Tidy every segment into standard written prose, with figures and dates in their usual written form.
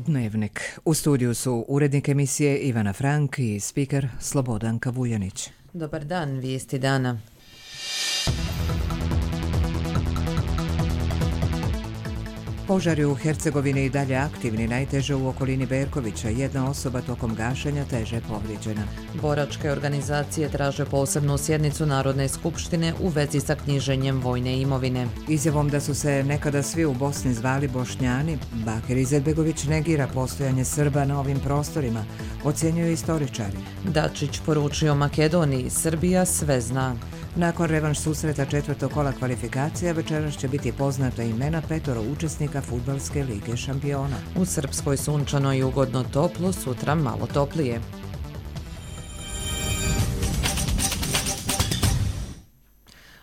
Dnevnik. U studiju su urednik emisije Ivana Frank i spiker Slobodanka Vujanić. Dobar dan, vijesti dana. Požari u Hercegovini i dalje aktivni, najteže u okolini Berkovića. Jedna osoba tokom gašenja teže povrijeđena. Boračke organizacije traže posebnu sjednicu Narodne skupštine u vezi sa knjiženjem vojne imovine. Izjavom da su se nekada svi u Bosni zvali Bošnjani, Bakir Izetbegović negira postojanje Srba na ovim prostorima, ocjenjuju istoričari. Dačić poručio Makedoniji, Srbija sve zna. Nakon revanš susreta četvrtog kola kvalifikacija, večeras će biti poznata imena 5 učesnika Fudbalske lige šampiona. U Srpskoj sunčano i ugodno toplo, sutra malo toplije.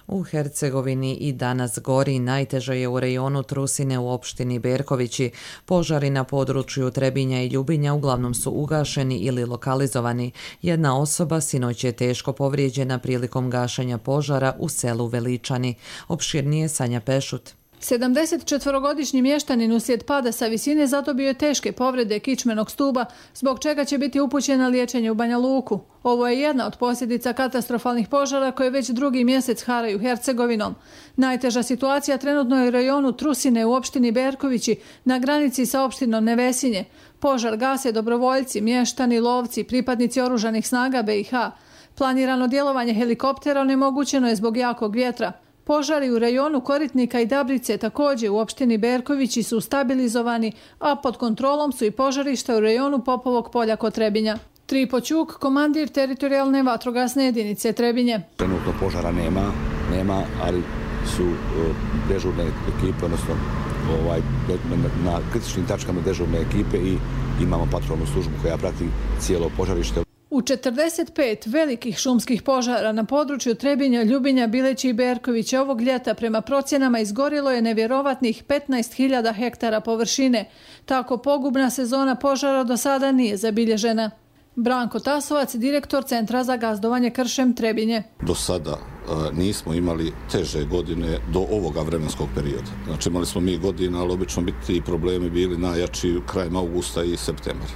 U Hercegovini i danas gori, najteže je u rejonu Trusine u opštini Berkovići. Požari na području Trebinja i Ljubinja uglavnom su ugašeni ili lokalizovani. Jedna osoba sinoć je teško povrijeđena prilikom gašenja požara u selu Veličani. Opširnije Sanja Pešut. 74-godišnji mještanin uslijed pada sa visine zadobio je teške povrede kičmenog stuba, zbog čega će biti upućen na liječenje u Banja Luku. Ovo je jedna od posljedica katastrofalnih požara koje već drugi mjesec haraju Hercegovinom. Najteža situacija trenutno je u rejonu Trusine u opštini Berkovići na granici sa opštinom Nevesinje. Požar gase dobrovoljci, mještani, lovci, pripadnici oružanih snaga BiH. Planirano djelovanje helikoptera onemogućeno je zbog jakog vjetra. Požari u rejonu Koritnika i Dabrice također u opštini Berkovići su stabilizovani, a pod kontrolom su i požarišta u rejonu Popovog polja kod Trebinja. Tripo Ćuk, komandir teritorijalne vatrogasne jedinice Trebinje. Trenutno požara nema, ali su dežurne ekipe, odnosno na kritičnim tačkama dežurne ekipe i imamo patrolnu službu koja prati cijelo požarište. U 45 velikih šumskih požara na području Trebinja, Ljubinja, Bileći i Berkovića ovog ljeta prema procjenama izgorilo je nevjerovatnih 15.000 hektara površine. Tako pogubna sezona požara do sada nije zabilježena. Branko Tasovac, direktor Centra za gazdovanje kršem Trebinje. Do sada nismo imali teže godine do ovoga vremenskog perioda. Znači imali smo mi godina, ali obično bi ti problemi bili najjači krajem augusta i septembra.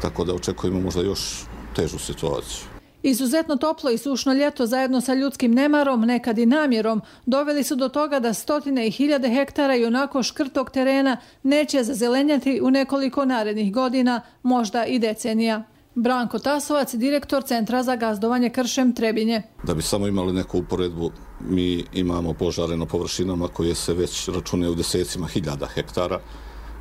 Tako da očekujemo možda još težu situaciju. Izuzetno toplo i sušno ljeto zajedno sa ljudskim nemarom, nekad i namjerom, doveli su do toga da stotine i hiljade hektara i onako škrtog terena neće zazelenjati u nekoliko narednih godina, možda i decenija. Branko Tasovac, direktor Centra za gazdovanje kršem Trebinje. Da bi samo imali neku uporedbu, mi imamo požare na površinama koje se već računaju u desecima hiljada hektara,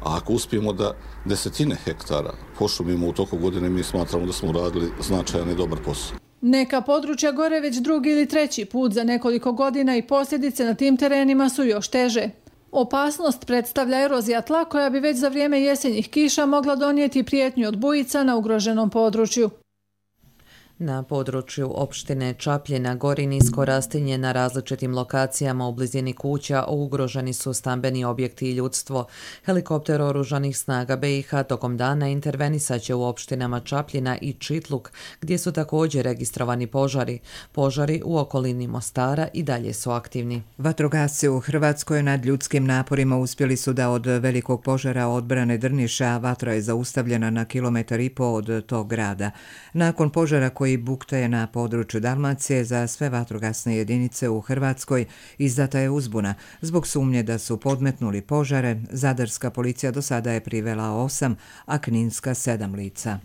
a ako uspijemo da desetine hektara pošumimo u toku godine, mi smatramo da smo uradili značajan i dobar posao. Neka područja gore već drugi ili treći put za nekoliko godina i posljedice na tim terenima su još teže. Opasnost predstavlja erozija tla koja bi već za vrijeme jesenjih kiša mogla donijeti prijetnju od bujica na ugroženom području. Na području opštine Čapljina gori nisko rastinje na različitim lokacijama u blizini kuća, ugroženi su stambeni objekti i ljudstvo. Helikopter oružanih snaga BiH tokom dana intervenisaće u opštinama Čapljina i Čitluk, gdje su također registrovani požari. Požari u okolini Mostara i dalje su aktivni. Vatrogasci u Hrvatskoj nad ljudskim naporima uspjeli su da od velikog požara odbrane Drniša, vatra je zaustavljena na 1,5 km od tog grada. Nakon požara koji buktaje na području Dalmacije, za sve vatrogasne jedinice u Hrvatskoj izdata je uzbuna. Zbog sumnje da su podmetnuli požare, zadarska policija do sada je privela 8, a kninska 7 lica.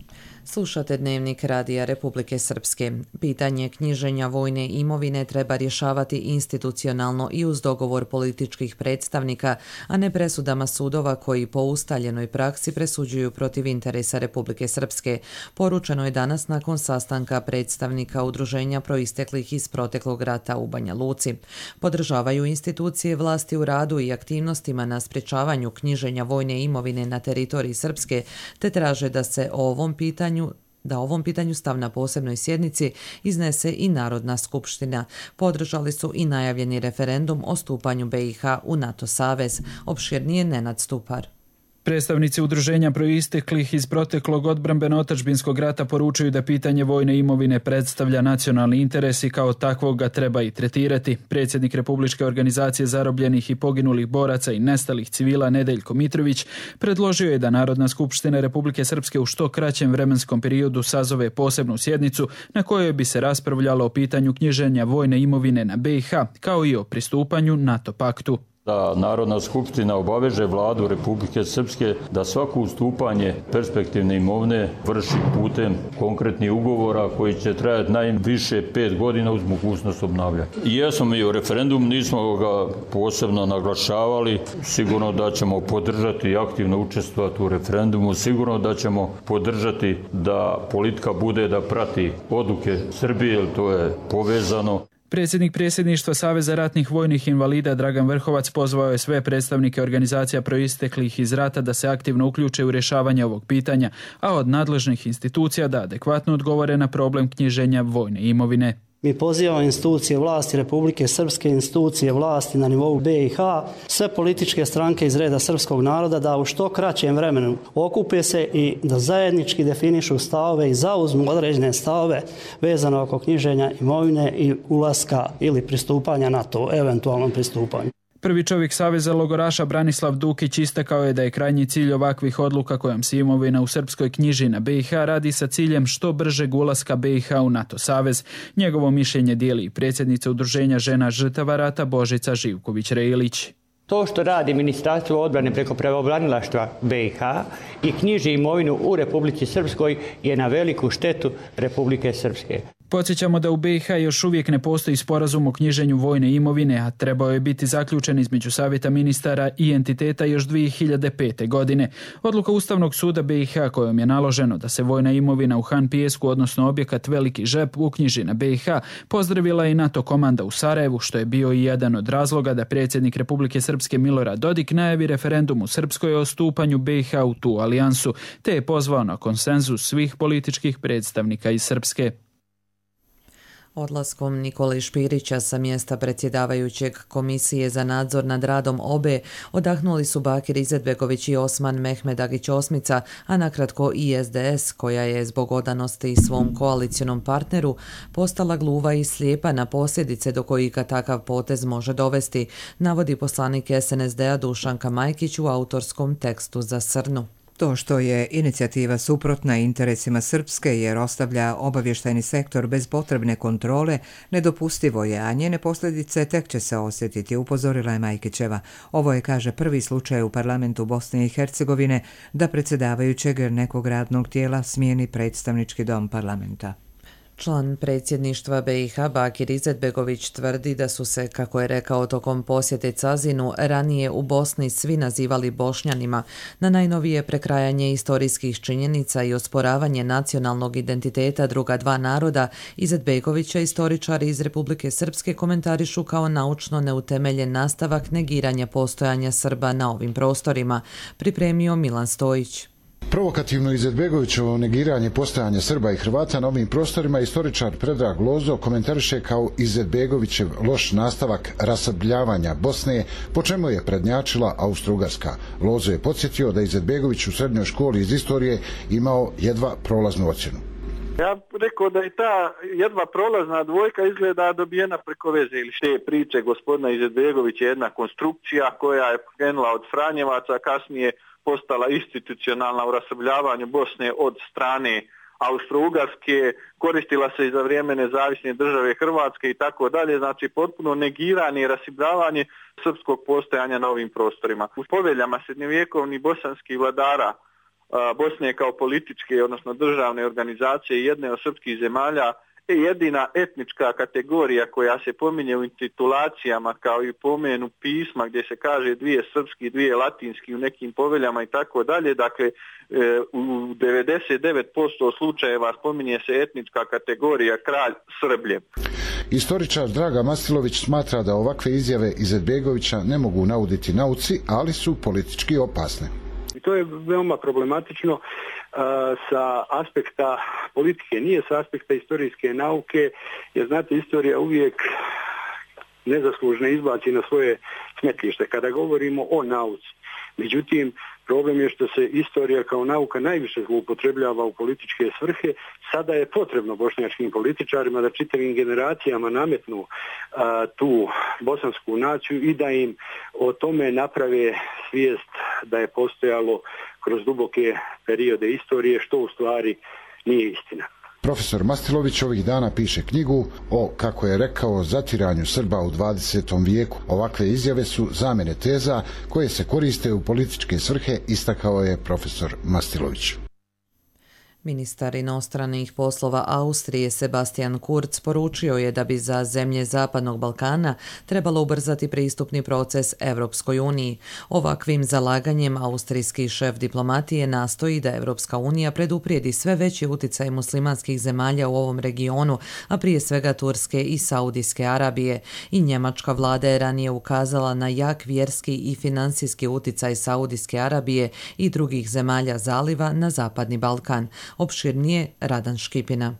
Slušate Dnevnik Radija Republike Srpske. Pitanje knjiženja vojne imovine treba rješavati institucionalno i uz dogovor političkih predstavnika, a ne presudama sudova koji po ustaljenoj praksi presuđuju protiv interesa Republike Srpske. Poručeno je danas nakon sastanka predstavnika udruženja proisteklih iz proteklog rata u Banja Luci. Podržavaju institucije vlasti u radu i aktivnostima na sprječavanju knjiženja vojne imovine na teritoriji Srpske, te traže da se o ovom pitanju stav na posebnoj sjednici iznese i Narodna skupština. Podržali su i najavljeni referendum o stupanju BiH u NATO savez. Opširnije Nenad Stupar. Predstavnici udruženja proisteklih iz proteklog odbrambeno-otadžbinskog rata poručuju da pitanje vojne imovine predstavlja nacionalni interes i kao takvog ga treba i tretirati. Predsjednik Republičke organizacije zarobljenih i poginulih boraca i nestalih civila Nedeljko Mitrović predložio je da Narodna skupština Republike Srpske u što kraćem vremenskom periodu sazove posebnu sjednicu na kojoj bi se raspravljalo o pitanju knjiženja vojne imovine na BiH, kao i o pristupanju NATO paktu. Da Narodna skupština obaveže vladu Republike Srpske da svako ustupanje perspektivne imovine vrši putem konkretnih ugovora koji će trajati najviše 5 godina uz mogućnost obnavljanja. I jesmo mi u referendum, nismo ga posebno naglašavali, sigurno da ćemo podržati i aktivno učestvovati u referendumu, sigurno da ćemo podržati da politika bude da prati odluke Srbije, jer to je povezano. Predsjednik predsjedništva Saveza ratnih vojnih invalida Dragan Vrhovac pozvao je sve predstavnike organizacija proisteklih iz rata da se aktivno uključe u rješavanje ovog pitanja, a od nadležnih institucija da adekvatno odgovore na problem knjiženja vojne imovine. Mi pozivamo institucije vlasti Republike Srpske, institucije vlasti na nivou BiH, sve političke stranke iz reda srpskog naroda da u što kraćem vremenu okupe se i da zajednički definišu stavove i zauzmu određene stavove vezano oko knjiženja imovine i ulaska ili pristupanja NATO, eventualnom pristupanju. Prvi čovjek Saveza logoraša Branislav Dukić istakao je da je krajnji cilj ovakvih odluka kojom se imovina u srpskoj knjiži na BiH radi sa ciljem što bržeg ulaska BiH u NATO savez. Njegovo mišljenje dijeli i predsjednica Udruženja žena žrtava rata Božica Živković-Rejlić. To što radi Ministarstvo odbrane preko pravobranilaštva BiH i knjiži imovinu u Republici Srpskoj je na veliku štetu Republike Srpske. Podsjećamo da u BiH još uvijek ne postoji sporazum o knjiženju vojne imovine, a trebao je biti zaključen između Savjeta ministara i entiteta još 2005. godine. Odluka Ustavnog suda BiH kojom je naloženo da se vojna imovina u Han Pijesku, odnosno objekat Veliki žep, uknjiži na BiH, pozdravila i NATO komanda u Sarajevu, što je bio i jedan od razloga da predsjednik Republike Srpske Milorad Dodik najavi referendum u Srpskoj o stupanju BiH u tu alijansu, te je pozvao na konsenzus svih političkih predstavnika iz Srpske. Odlaskom Nikole Špirića sa mjesta predsjedavajućeg Komisije za nadzor nad radom OBE odahnuli su Bakir Izetbegović i Osman Mehmedagić Osmica, a nakratko i SDS, koja je zbog odanosti svom koalicionom partneru postala gluva i slijepa na posljedice do kojih ga takav potez može dovesti, navodi poslanik SNSD-a Dušanka Majkić u autorskom tekstu za Srnu. To što je inicijativa suprotna interesima Srpske jer ostavlja obavještajni sektor bez potrebne kontrole, nedopustivo je, a njene posljedice tek će se osjetiti, upozorila je Majkićeva. Ovo je, kaže, prvi slučaj u parlamentu Bosne i Hercegovine da predsjedavajućeg nekog radnog tijela smijeni predstavnički dom parlamenta. Član predsjedništva BiH Bakir Izetbegović tvrdi da su se, kako je rekao tokom posjete Cazinu, ranije u Bosni svi nazivali Bošnjanima. Na najnovije prekrajanje historijskih činjenica i osporavanje nacionalnog identiteta druga dva naroda, Izetbegovića istoričari iz Republike Srpske komentarišu kao naučno neutemeljen nastavak negiranja postojanja Srba na ovim prostorima, pripremio Milan Stojić. Provokativno Izetbegovićevo negiranje postojanja Srba i Hrvata na ovim prostorima istoričar Predrag Lozo komentariše kao Izetbegovićev loš nastavak rasabljavanja Bosne, po čemu je prednjačila Austro-Ugarska. Lozo je podsjetio da Izetbegović u srednjoj školi iz istorije imao jedva prolaznu ocjenu. Ja rekao da je ta jedva prolazna dvojka izgleda dobijena preko veze ili te priče gospodina Izetbegovića, jedna konstrukcija koja je krenula od Franjevaca, kasnije postala institucionalna u rasabljavanju Bosne od strane Austro-Ugarske, koristila se i za vrijeme nezavisne države Hrvatske i tako dalje, znači potpuno negiranje i rasibljavanje srpskog postojanja na ovim prostorima. U poveljama srednjovjekovnih bosanskih vladara Bosne kao političke, odnosno državne organizacije jedne od srpskih zemalja je jedina etnička kategorija koja se pominje u intitulacijama kao i pomenu pisma gdje se kaže dvije srpski, dvije latinski u nekim poveljama i tako dalje. Dakle, u 99% slučajeva spominje se etnička kategorija kralj Srblje. Istoričar Draga Mastilović smatra da ovakve izjave Izetbegovića ne mogu nauditi nauci, ali su politički opasne. I to je veoma problematično sa aspekta politike, nije sa aspekta istorijske nauke, jer znate, istorija uvijek nezaslužno izbaci na svoje smetlište kada govorimo o nauci. Međutim, Problem je što se istorija kao nauka najviše zloupotrebljava u političke svrhe. Sada je potrebno bošnjačkim političarima da čitavim generacijama nametnu tu bosansku naciju i da im o tome naprave svijest da je postojalo kroz duboke periode istorije, što u stvari nije istina. Profesor Mastilović ovih dana piše knjigu o, kako je rekao, zatiranju Srba u 20. vijeku. Ovakve izjave su zamjene teza koje se koriste u političke svrhe, istakao je profesor Mastilović. Ministar inostranih poslova Austrije Sebastian Kurz poručio je da bi za zemlje Zapadnog Balkana trebalo ubrzati pristupni proces Europskoj uniji. Ovakvim zalaganjem austrijski šef diplomatije nastoji da Europska unija preduprijedi sve veći utjecaj muslimanskih zemalja u ovom regionu, a prije svega Turske i Saudijske Arabije. I njemačka vlada je ranije ukazala na jak vjerski i financijski utjecaj Saudijske Arabije i drugih zemalja zaliva na Zapadni Balkan. Opširnije Radan Škipina.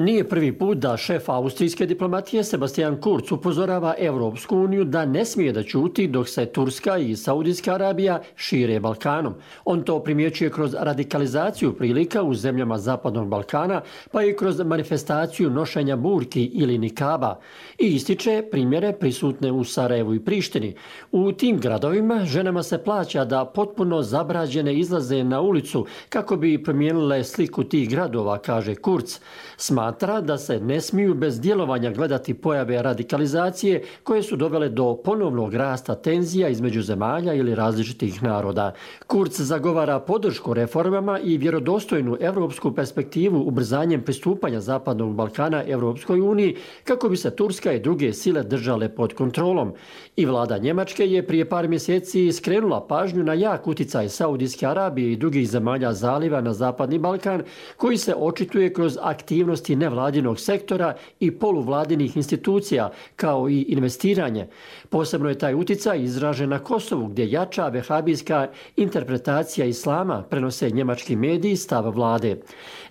Nije prvi put da šef austrijske diplomatije Sebastian Kurz upozorava Europsku uniju da ne smije da ćuti dok se Turska i Saudijska Arabija šire Balkanom. On to primjećuje kroz radikalizaciju prilika u zemljama Zapadnog Balkana, pa i kroz manifestaciju nošenja burki ili nikaba. I ističe primjere prisutne u Sarajevu i Prištini. U tim gradovima ženama se plaća da potpuno zabrađene izlaze na ulicu kako bi promijenile sliku tih gradova, kaže Kurz. Smatra da se ne smiju bez djelovanja gledati pojave radikalizacije koje su dovele do ponovnog rasta tenzija između zemalja ili različitih naroda. Kurz zagovara podršku reformama i vjerodostojnu europsku perspektivu ubrzanjem pristupanja Zapadnog Balkana Europskoj uniji kako bi se Turska i druge sile držale pod kontrolom. I vlada Njemačke je prije par mjeseci skrenula pažnju na jak utjecaj Saudijske Arabije i drugih zemalja zaliva na Zapadni Balkan koji se očituje kroz aktivnosti nevladinog sektora i poluvladinih institucija, kao i investiranje. Posebno je taj utjecaj izražen na Kosovu, gdje jača vehabijska interpretacija islama, prenose njemački mediji stav vlade.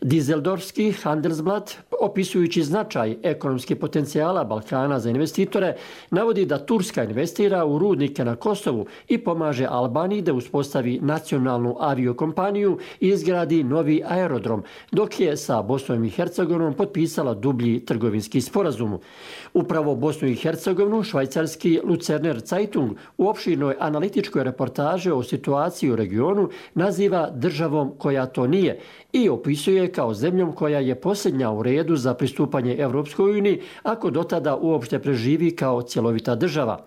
Dizeldorfski Handelsblatt, opisujući značaj ekonomskih potencijala Balkana za investitore, navodi da Turska investira u rudnike na Kosovu i pomaže Albaniji da uspostavi nacionalnu aviokompaniju i izgradi novi aerodrom, dok je sa Bosnom i Hercegovinom potpisala dublji trgovinski sporazum. Upravo Bosnu i Hercegovinu švajcarski Luzerner Zeitung u opširnoj analitičkoj reportaži o situaciji u regionu naziva državom koja to nije i opisuje kao zemljom koja je posljednja u redu za pristupanje Europskoj uniji ako do tada uopšte preživi kao cjelovita država.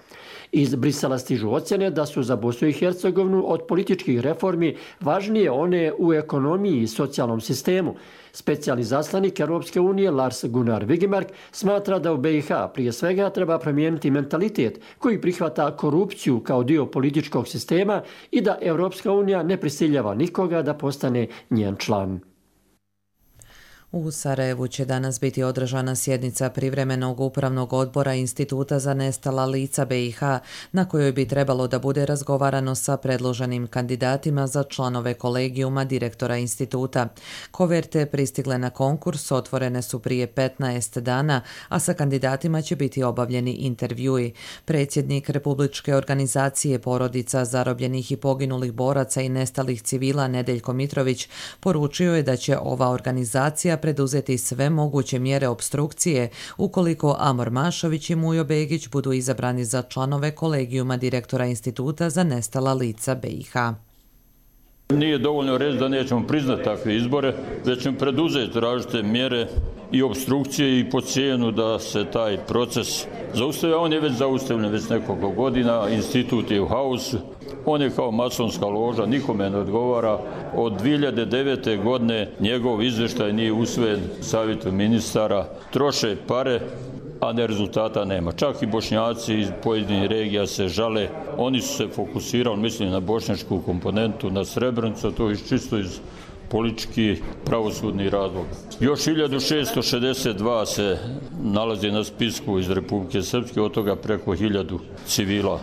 Iz Brisela stižu ocjene da su za Bosnu i Hercegovinu od političkih reformi važnije one u ekonomiji i socijalnom sistemu. Specijalni zaslanik Europske unije Lars Gunnar Vigemark smatra da u BiH prije svega treba promijeniti mentalitet koji prihvata korupciju kao dio političkog sistema i da Europska unija ne prisiljava nikoga da postane njen član. U Sarajevu će danas biti održana sjednica privremenog upravnog odbora Instituta za nestala lica BiH, na kojoj bi trebalo da bude razgovarano sa predloženim kandidatima za članove kolegijuma direktora instituta. Koverte pristigle na konkurs otvorene su prije 15 dana, a sa kandidatima će biti obavljeni intervjui. Predsjednik Republičke organizacije porodica zarobljenih i poginulih boraca i nestalih civila Nedeljko Mitrović poručio je da će ova organizacija preduzeti sve moguće mjere opstrukcije ukoliko Amor Mašović i Mujo Begić budu izabrani za članove kolegijuma direktora Instituta za nestala lica BiH. Nije dovoljno reći da nećemo priznati takve izbore, već ćemo preduzeti različite mjere i opstrukcije i po cijenu da se taj proces zaustavi. On je već zaustavljen već nekoliko godina, institut je u haosu, on je kao masonska loža, nikome ne odgovara. Od 2009. godine njegov izvještaj nije usvojen savjetu ministara, troše pare, a ne rezultata nema. Čak i Bošnjaci iz pojedinih regija se žale. Oni su se fokusirali, mislim, na bošnjačku komponentu, na Srebrenicu, to je čisto iz politički pravosudni razlog. Još 1662 se nalazi na spisku iz Republike Srpske, od toga preko 1000 civila.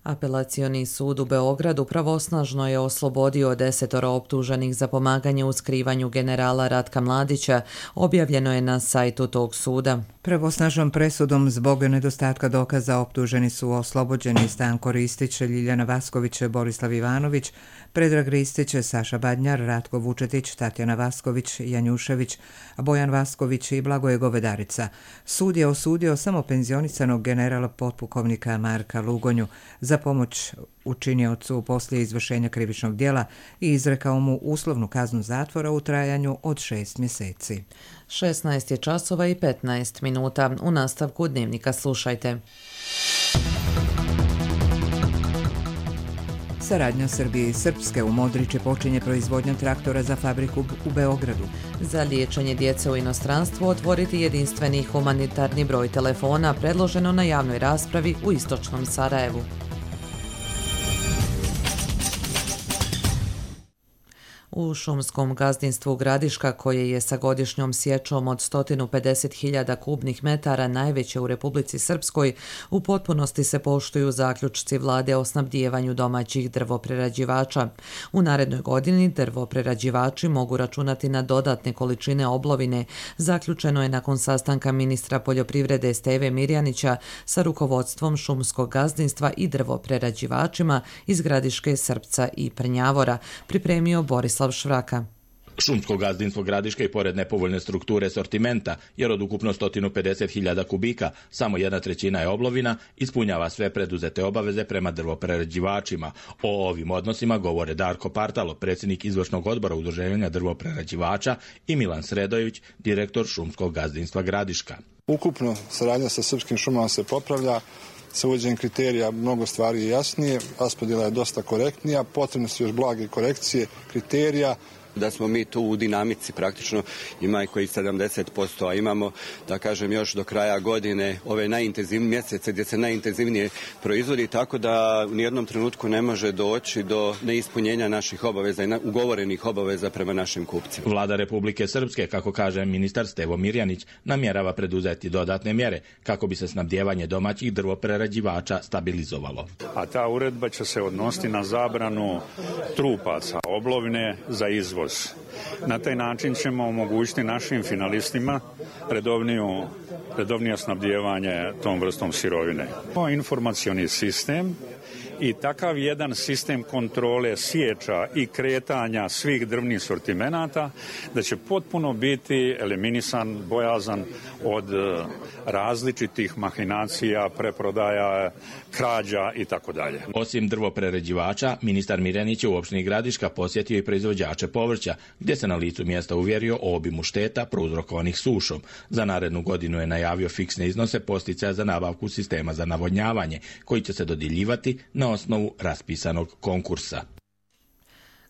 Apelacioni sud u Beogradu pravosnažno je oslobodio 10 optuženih za pomaganje u skrivanju generala Ratka Mladića, objavljeno je na sajtu tog suda. Pravosnažnom presudom zbog nedostatka dokaza optuženi su oslobođeni Stanko Ristić, Ljiljana Vasković, Borislav Ivanović, Predrag Ristić, Saša Badnjar, Ratko Vučetić, Tatjana Vasković, Janjušević, Bojan Vasković i Blagoje Govedarica. Sud je osudio samo penzionisanog generala potpukovnika Marka Lugonju za pomoć učiniocu poslije izvršenja krivičnog djela i izrekao mu uslovnu kaznu zatvora u trajanju od 6 mjeseci. 16 je časova i 15 minuta. U nastavku Dnevnika slušajte. Saradnja Srbije i Srpske u Modriči počinje proizvodnja traktora za fabriku u Beogradu. Za liječenje djece u inostranstvu otvoriti jedinstveni humanitarni broj telefona predloženo na javnoj raspravi u istočnom Sarajevu. U šumskom gazdinstvu Gradiška, koje je sa godišnjom sječom od 150.000 kubnih metara najveće u Republici Srpskoj, u potpunosti se poštuju zaključci vlade o snabdijevanju domaćih drvoprerađivača. U narednoj godini drvoprerađivači mogu računati na dodatne količine oblovine, zaključeno je nakon sastanka ministra poljoprivrede Steve Mirjanića sa rukovodstvom šumskog gazdinstva i drvoprerađivačima iz Gradiške, Srpca i Prnjavora, pripremio Borislav Švraka. Šumsko gazdinstvo Gradiška i pored nepovoljne strukture sortimenta, jer od ukupno 150.000 kubika, samo 1/3 je oblovina, ispunjava sve preduzete obaveze prema drvoprerađivačima. O ovim odnosima govore Darko Partalo, predsjednik izvršnog odbora Udruženja drvoprerađivača, i Milan Sredojević, direktor Šumskog gazdinstva Gradiška. Ukupno saradnja sa srpskim šumama se popravlja, sa uvođenjem kriterija mnogo stvari je jasnije, raspodjela je dosta korektnija, potrebne su još blage korekcije kriterija. Da smo mi tu u dinamici praktično, ima i koji 70%, a imamo, da kažem, još do kraja godine ove najintenzivnije mjesece gdje se najintenzivnije proizvodi, tako da u nijednom trenutku ne može doći do neispunjenja naših obaveza i ugovorenih obaveza prema našim kupcima. Vlada Republike Srpske, kako kaže ministar Stevo Mirjanić, namjerava preduzeti dodatne mjere kako bi se snabdijevanje domaćih drvoprerađivača stabilizovalo. A ta uredba će se odnositi na zabranu trupaca, oblovine za izvoz. Na taj način ćemo omogućiti našim finalistima redovnije snabdijevanje tom vrstom sirovine. Informacioni sistem i takav jedan sistem kontrole sječa i kretanja svih drvnih sortimenata da će potpuno biti eliminisan bojazan od različitih mahinacija, preprodaja, krađa i tako dalje. Osim drvoprerađivača, ministar Mirjanić je u opštini Gradiška posjetio i proizvođače povrća, gdje se na licu mjesta uvjerio o obimu šteta prouzrokovanih sušom. Za narednu godinu je najavio fiksne iznose posticaja za nabavku sistema za navodnjavanje, koji će se dodjeljivati na osnovu raspisanog konkursa.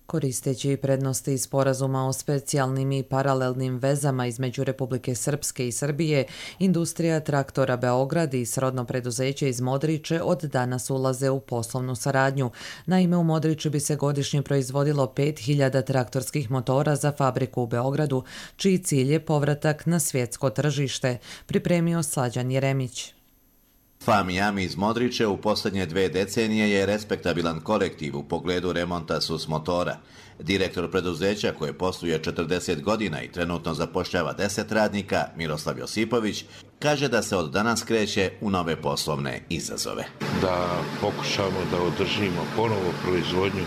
Koristeći prednosti iz sporazuma o specijalnim i paralelnim vezama između Republike Srpske i Srbije, industrija traktora Beograd i srodno preduzeće iz Modriče od danas ulaze u poslovnu saradnju. Naime, u Modriči bi se godišnje proizvodilo 5.000 traktorskih motora za fabriku u Beogradu, čiji cilj je povratak na svjetsko tržište, pripremio Slađan Jeremić. Famijami iz Modriče u posljednje 2 decenije je respektabilan kolektiv u pogledu remonta sus motora. Direktor preduzeća, koje posluje 40 godina i trenutno zapošljava 10 radnika, Miroslav Josipović, kaže da se od danas kreće u nove poslovne izazove. Da pokušamo da održimo ponovo proizvodnju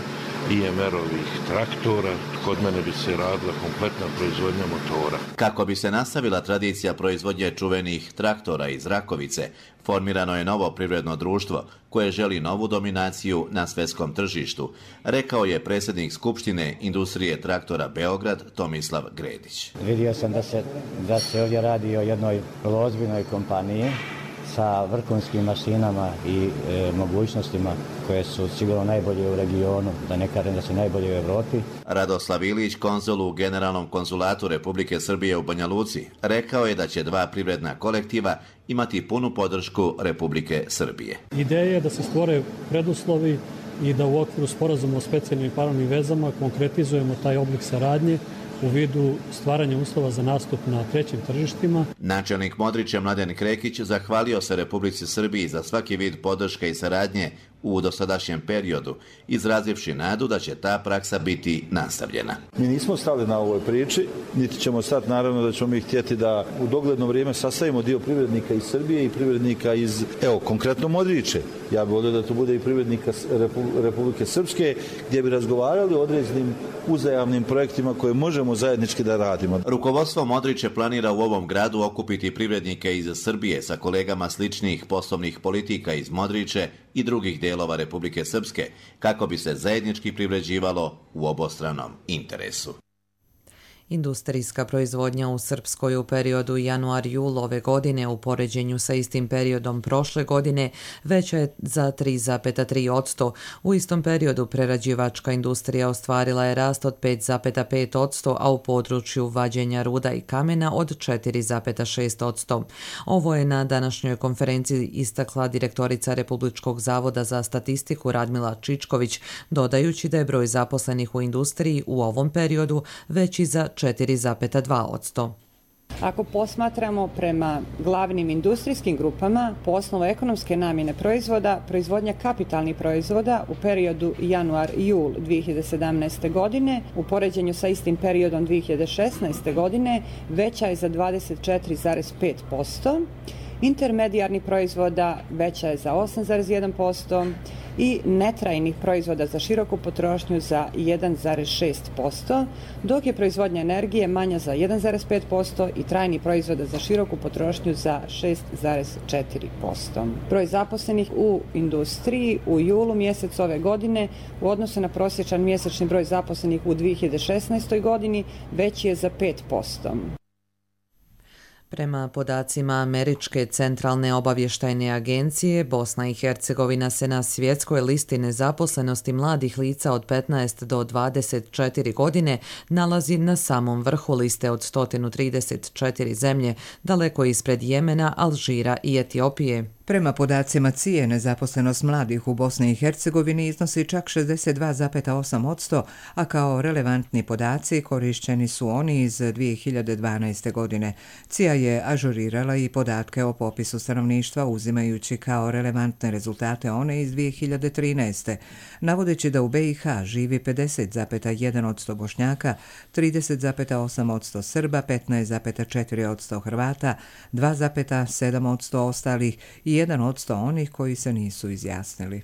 IMR-ovih traktora, kod mene bi se radila kompletna proizvodnja motora. Kako bi se nastavila tradicija proizvodnje čuvenih traktora iz Rakovice, formirano je novo privredno društvo koje želi novu dominaciju na svjetskom tržištu, rekao je predsjednik Skupštine industrije traktora Beograd Tomislav Gredić. Vidio sam da se ovdje radi o jednoj ozbiljnoj kompaniji sa vrhunskim mašinama i mogućnostima koje su sigurno najbolje u regionu, da ne kažem da su najbolje u Evropi. Radoslav Ilić, konzul u Generalnom konzulatu Republike Srbije u Banja Luci, rekao je da će 2 privredna kolektiva imati punu podršku Republike Srbije. Ideja je da se stvore preduslovi i da u okviru sporazuma o specijalnim i paralelnim vezama konkretizujemo taj oblik saradnje u vidu stvaranja uslova za nastup na trećim tržištima. Načelnik Modriče Mladen Krekić zahvalio se Republici Srbiji za svaki vid podrške i saradnje u dosadašnjem periodu, izrazivši nadu da će ta praksa biti nastavljena. Mi nismo stali na ovoj priči, niti ćemo sad, naravno da ćemo mi htjeti da u dogledno vrijeme sastavimo dio privrednika iz Srbije i privrednika iz, konkretno Modriče. Ja bih volio da to bude i privrednika Republike Srpske, gdje bi razgovarali o određenim uzajamnim projektima koje možemo zajednički da radimo. Rukovodstvo Modriče planira u ovom gradu okupiti privrednike iz Srbije sa kolegama sličnih poslovnih politika iz Modriče i drugih dijelova Republike Srpske, kako bi se zajednički privređivalo u obostranom interesu. Industrijska proizvodnja u Srpskoj u periodu januar-jul ove godine u poređenju sa istim periodom prošle godine veća je za 3,3%. U istom periodu prerađivačka industrija ostvarila je rast od 5,5%, a u području vađenja ruda i kamena od 4,6%. Ovo je na današnjoj konferenciji istakla direktorica Republičkog zavoda za statistiku Radmila Čičković, dodajući da je broj zaposlenih u industriji u ovom periodu veći za 4,2%. Ako posmatramo prema glavnim industrijskim grupama, po osnovu ekonomske namjene proizvoda, proizvodnja kapitalnih proizvoda u periodu januar-jul 2017. godine u poređenju sa istim periodom 2016. godine veća je za 24,5%, intermedijarnih proizvoda veća je za 8,1% i netrajnih proizvoda za široku potrošnju za 1,6%, dok je proizvodnja energije manja za 1,5% i trajnih proizvoda za široku potrošnju za 6,4%. Broj zaposlenih u industriji u julu mjesecu ove godine u odnosu na prosječan mjesečni broj zaposlenih u 2016. godini veći je za 5%. Prema podacima Američke centralne obavještajne agencije, Bosna i Hercegovina se na svjetskoj listi nezaposlenosti mladih lica od 15 do 24 godine nalazi na samom vrhu liste od 134 zemlje, daleko ispred Jemena, Alžira i Etiopije. Prema podacima CIA, nezaposlenost mladih u Bosni i Hercegovini iznosi čak 62,8%, a kao relevantni podaci korišćeni su oni iz 2012. godine. CIA je ažurirala i podatke o popisu stanovništva uzimajući kao relevantne rezultate one iz 2013. navodeći da u BiH živi 50,1% Bošnjaka, 30,8% Srba, 15,4% Hrvata, 2,7% ostalih i 1% onih koji se nisu izjasnili.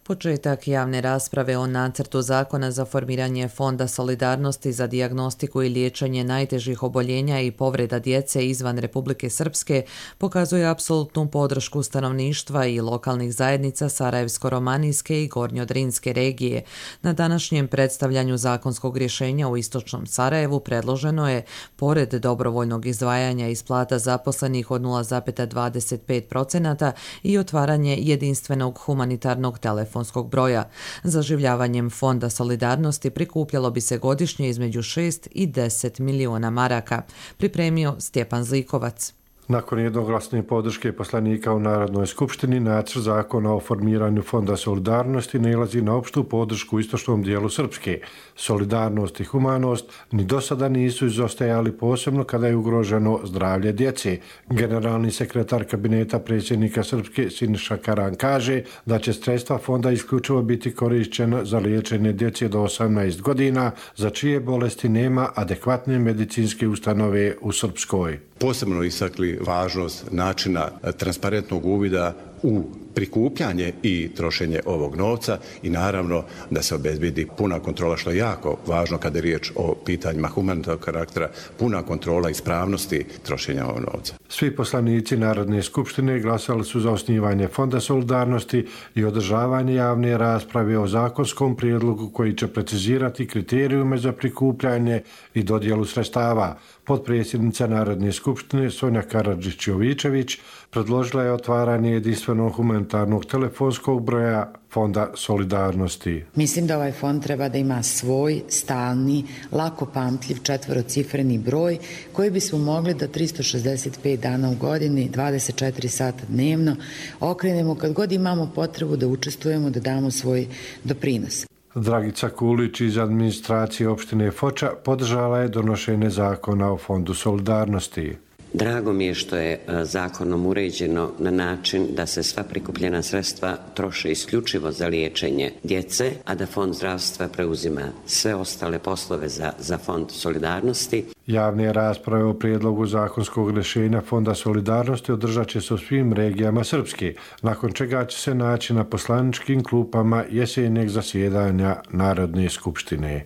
Početak javne rasprave o nacrtu zakona za formiranje Fonda solidarnosti za dijagnostiku i liječenje najtežih oboljenja i povreda djece izvan Republike Srpske pokazuje apsolutnu podršku stanovništva i lokalnih zajednica Sarajevsko-romanijske i Gornjodrinske regije. Na današnjem predstavljanju zakonskog rješenja u istočnom Sarajevu predloženo je, pored dobrovoljnog izdvajanja iz plata zaposlenih od 0,25% i otvaranje jedinstvenog humanitarnog telefonskog broja. Zaživljavanjem Fonda solidarnosti prikupljalo bi se godišnje između 6 i 10 miliona maraka. Pripremio Stjepan Zlikovac. Nakon jednoglasne podrške poslanika u Narodnoj skupštini, nacrt zakona o formiranju Fonda solidarnosti nailazi na opštu podršku u istočnom dijelu Srpske. Solidarnost i humanost ni do sada nisu izostajali, posebno kada je ugroženo zdravlje djece. Generalni sekretar kabineta predsjednika Srpske Siniša Karan kaže da će sredstva fonda isključivo biti korišćena za liječenje djece do 18 godina, za čije bolesti nema adekvatne medicinske ustanove u Srpskoj. Posebno istakli važnost načina transparentnog uvida u prikupljanje i trošenje ovog novca i naravno da se obezbedi puna kontrola, što je jako važno kada je riječ o pitanjima humanitarnog karaktera, puna kontrola ispravnosti trošenja ovog novca. Svi poslanici Narodne skupštine glasali su za osnivanje Fonda solidarnosti i održavanje javne rasprave o zakonskom prijedlogu koji će precizirati kriterijume za prikupljanje i dodjelu sredstava. Potpredsjednica Narodne skupštine Sonja Karadžić-Jovičević predložila je otvaranje jedinstvenog humanitarnog telefonskog broja Fonda solidarnosti. Mislim da ovaj fond treba da ima svoj stalni, lako pamtljiv četverocifreni broj koji bismo mogli da 365 dana u godini, 24 sata dnevno okrenemo kad god imamo potrebu da učestvujemo, da damo svoj doprinos. Dragica Kulić iz administracije opštine Foča podržala je donošenje zakona o Fondu solidarnosti. Drago mi je što je zakonom uređeno na način da se sva prikupljena sredstva troše isključivo za liječenje djece, a da Fond zdravstva preuzima sve ostale poslove za Fond solidarnosti. Javne rasprave o prijedlogu zakonskog rješenja Fonda solidarnosti održat će se u svim regijama Srpske, nakon čega će se naći na poslaničkim klupama jesenjeg zasjedanja Narodne skupštine.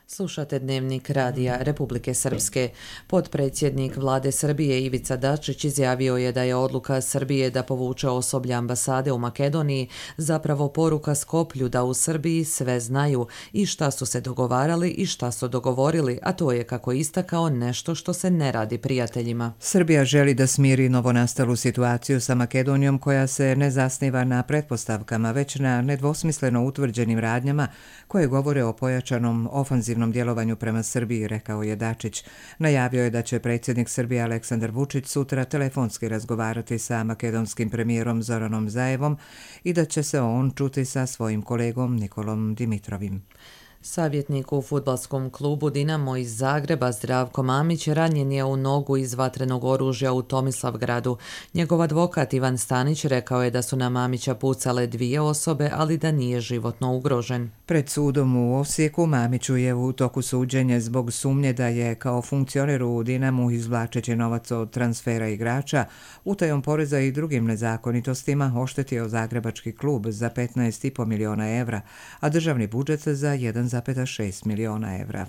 Slušate Dnevnik radija Republike Srpske. Potpredsjednik vlade Srbije Ivica Dačić izjavio je da je odluka Srbije da povuče osoblje ambasade u Makedoniji zapravo poruka Skoplju da u Srbiji sve znaju i šta su se dogovarali i šta su dogovorili, a to je, kako istakao, nešto što se ne radi prijateljima. Srbija želi da smiri novonastalu situaciju sa Makedonijom koja se ne zasniva na pretpostavkama, već na nedvosmisleno utvrđenim radnjama koje govore o pojačanom ofanzivnom djelovanju prema Srbiji, rekao je Dačić. Najavio je da će predsjednik Srbije Aleksandar Vučić sutra telefonski razgovarati sa makedonskim premijerom Zoranom Zaevom i da će se on čuti sa svojim kolegom Nikolom Dimitrovim. Savjetnik u fudbalskom klubu Dinamo iz Zagreba Zdravko Mamić ranjen je u nogu iz vatrenog oružja u Tomislavgradu. Njegov advokat Ivan Stanić rekao je da su na Mamića pucale 2 osobe, ali da nije životno ugrožen. Pred sudom u Osijeku Mamiću je u toku suđenja zbog sumnje da je kao funkcioner u Dinamu izvlačeći novac od transfera igrača, utajom poreza i drugim nezakonitostima oštetio zagrebački klub za 15,5 miliona evra, a državni budžet za 1,6 miliona evra.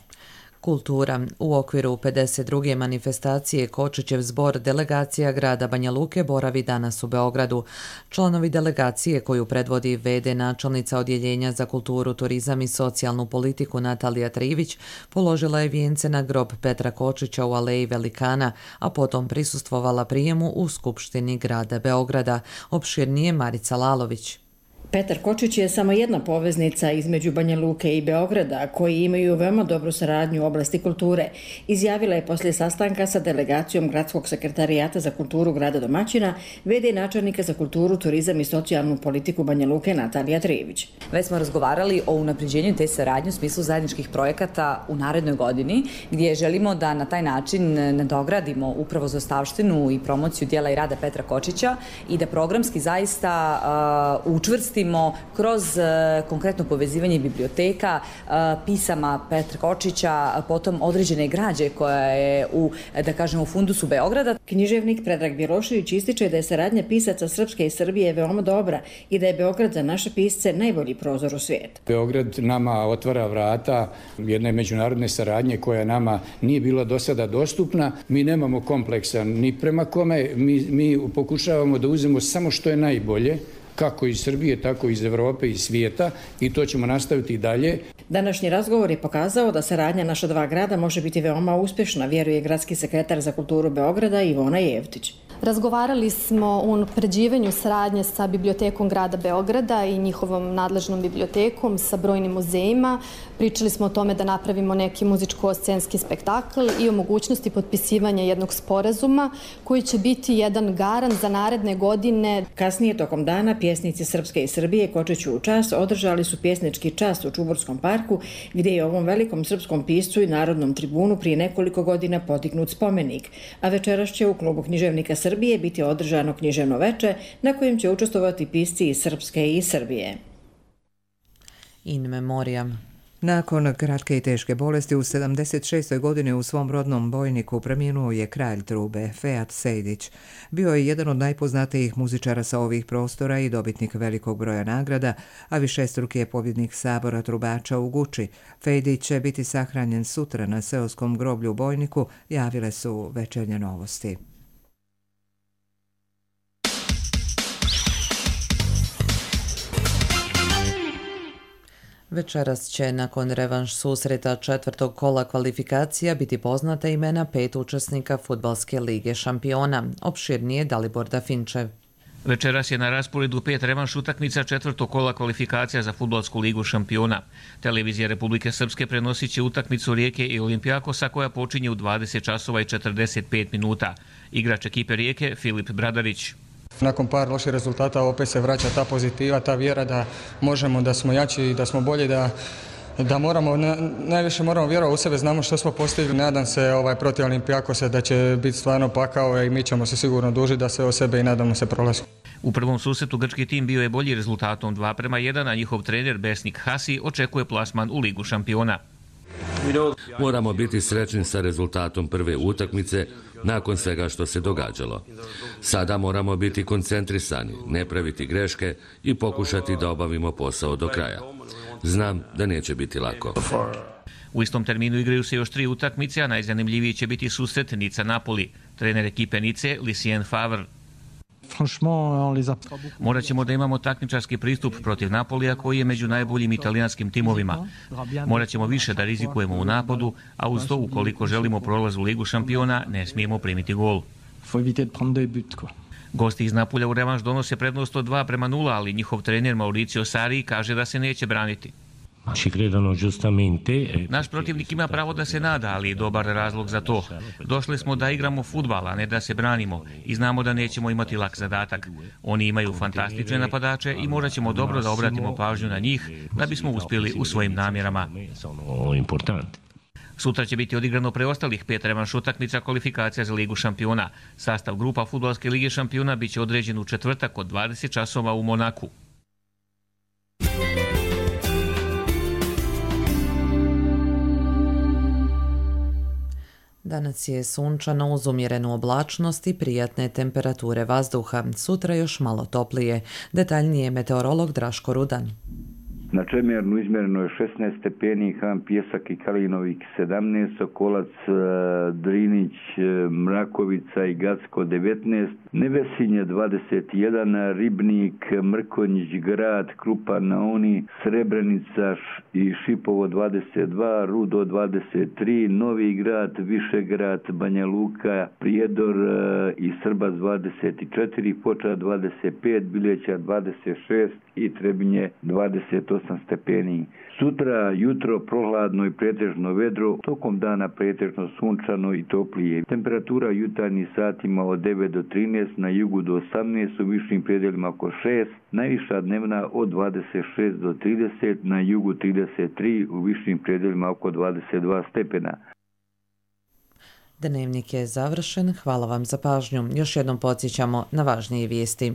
Kultura. U okviru 52. manifestacije Kočićev zbor delegacija grada Banja Luke boravi danas u Beogradu. Članovi delegacije koju predvodi v.d. načelnica Odjeljenja za kulturu, turizam i socijalnu politiku Natalija Trivić položila je vijence na grob Petra Kočića u Aleji Velikana, a potom prisustvovala prijemu u Skupštini grada Beograda. Opširnije Marica Lalović. Petar Kočić je samo jedna poveznica između Banja Luke i Beograda, koji imaju veoma dobru saradnju u oblasti kulture, izjavila je poslije sastanka sa delegacijom Gradskog sekretarijata za kulturu grada domaćina, v.d. načelnika za kulturu, turizam i socijalnu politiku Banja Luke Natalija Trivić. Već smo razgovarali o unapređenju te saradnje u smislu zajedničkih projekata u narednoj godini, gdje želimo da na taj način nadogradimo upravo zaostavštinu i promociju dijela i rada Petra Kočića i da programski zaista učvrstimo kroz konkretno povezivanje biblioteka, pisama Petra Kočića, potom određene građe koja je u fundusu Beograda. Književnik Predrag Bjelošević ističe da je saradnja pisaca Srpske i Srbije veoma dobra i da je Beograd za naše pisce najbolji prozor u svijet. Beograd nama otvara vrata jedne međunarodne saradnje koja nama nije bila do sada dostupna. Mi nemamo kompleksa ni prema kome, mi pokušavamo da uzmemo samo što je najbolje, kako iz Srbije, tako iz Evrope i svijeta, i to ćemo nastaviti i dalje. Današnji razgovor je pokazao da saradnja naša dva grada može biti veoma uspješna, vjeruje gradski sekretar za kulturu Beograda Ivona Jevtić. Razgovarali smo o unapređivanju saradnje sa bibliotekom grada Beograda i njihovom nadležnom bibliotekom, sa brojnim muzejima. Pričali smo o tome da napravimo neki muzičko-scenski spektakl i o mogućnosti potpisivanja jednog sporazuma koji će biti jedan garant za naredne godine. Kasnije tokom dana pjesnici Srpske i Srbije Kočiću u čast održali su pjesnički čas u Čuburskom parku, gdje je ovom velikom srpskom piscu i narodnom tribunu prije nekoliko godina podignut spomenik, a večeras će u klubu književnika Srbije biti održano književno veče na kojem će učestvovati pisci iz Srpske i Srbije. In memoriam. Nakon kratke i teške bolesti u 76. godini u svom rodnom Bojniku preminuo je kralj trube Feat Sejdić. Bio je jedan od najpoznatijih muzičara sa ovih prostora i dobitnik velikog broja nagrada, a višestruki je pobjednik sabora trubača u Guči. Fejdić će biti sahranjen sutra na seoskom groblju u Bojniku, javile su Večernje novosti. Večeras će nakon revanš susreta 4. kola kvalifikacija biti poznata imena 5 učesnika Fudbalske lige šampiona. Opširnije Dalibor Dafinčev. Večeras je na rasporedu 5 revanš utakmica 4. kola kvalifikacija za Fudbalsku ligu šampiona. Televizija Republike Srpske prenosit će utakmicu Rijeke i Olimpijakosa koja počinje u 20 časova i 45 minuta. Igrač ekipe Rijeke Filip Bradarić. Nakon par loših rezultata opet se vraća ta pozitiva, ta vjera da možemo, da smo jači i da smo bolji, da da najviše moramo vjerovati u sebe, znamo što smo postigli. Nadam se protiv Olimpijakosa da će biti stvarno pakao i mi ćemo se sigurno dužiti da sve o sebe i nadamo se prolasku. U prvom susretu grčki tim bio je bolji rezultatom 2:1, a njihov trener Besnik Hasi očekuje plasman u Ligu šampiona. Moramo biti srećni sa rezultatom prve utakmice nakon svega što se događalo. Sada moramo biti koncentrisani, ne praviti greške i pokušati da obavimo posao do kraja. Znam da neće biti lako. U istom terminu igraju se još 3 utakmice, a najzanimljiviji će biti susret Nica-Napoli. Trener ekipe Nice, Lucien Favre. Morat ćemo da imamo takmičarski pristup protiv Napolija koji je među najboljim italijanskim timovima. Morat ćemo više da rizikujemo u napadu, a uz to ukoliko želimo prolaz u Ligu šampiona ne smijemo primiti gol. Gosti iz Napolja u revanš donose prednost od 2:0, ali njihov trener Mauricio Sarri kaže da se neće braniti. Naš protivnik ima pravo da se nada, ali je dobar razlog za to. Došli smo da igramo fudbal, a ne da se branimo i znamo da nećemo imati lak zadatak. Oni imaju fantastične napadače i morat ćemo dobro da obratimo pažnju na njih da bismo uspjeli u svojim namjerama. Sutra će biti odigrano preostalih 5 revanš utakmica kvalifikacija za Ligu šampiona. Sastav grupa Fudbalske lige šampiona biće određen u četvrtak od 20 časova u Monaku. Danas je sunčano uz umjerenu oblačnost i prijatne temperature vazduha. Sutra još malo toplije. Detaljnije meteorolog Draško Rudan. Na Čemernu izmjereno je 16 stepeni, Han Pjesak i Kalinovik 17, Sokolac, Drinić, Mrakovica i Gacko 19, Nevesinje 21, Ribnik, Mrkonjić, Grad, Krupa na Oni, Srebrenica i Šipovo 22, Rudo 23, Novi Grad, Višegrad, Banja Luka, Prijedor i Srbac 24, Foča 25, Bileća 26 i Trebinje 28 stepeni. Sutra jutro prohladno i pretežno vedro, tokom dana pretežno sunčano i toplije. Temperatura jutarnjih satima od 9 do 13, na jugu do 18, u višim predelima oko 6, najviša dnevna od 26 do 30, na jugu 33, u višim predelima oko 22 stepena. Dnevnik je završen. Hvala vam za pažnju. Još jednom podsjećamo na važnije vijesti.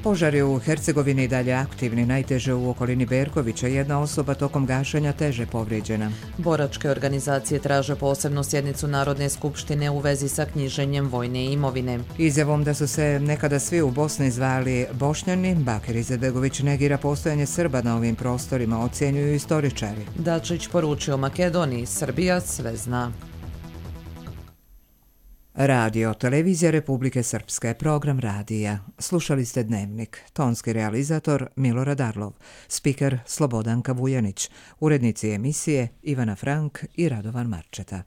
Požari u Hercegovini i dalje aktivni, najteže u okolini Berkovića, jedna osoba tokom gašenja teže povrijeđena. Boračke organizacije traže posebnu sjednicu Narodne skupštine u vezi sa knjiženjem vojne imovine. Izjavom da su se nekada svi u Bosni zvali Bošnjani, Bakir Izetbegović negira postojanje Srba na ovim prostorima, ocjenjuju istoričari. Dačić poručio Makedoniji, Srbija sve zna. Radio, televizija Republike Srpske, program radija. Slušali ste Dnevnik. Tonski realizator Milorad Arlov, spiker Slobodanka Vujanić, urednici emisije Ivana Frank i Radovan Marčeta.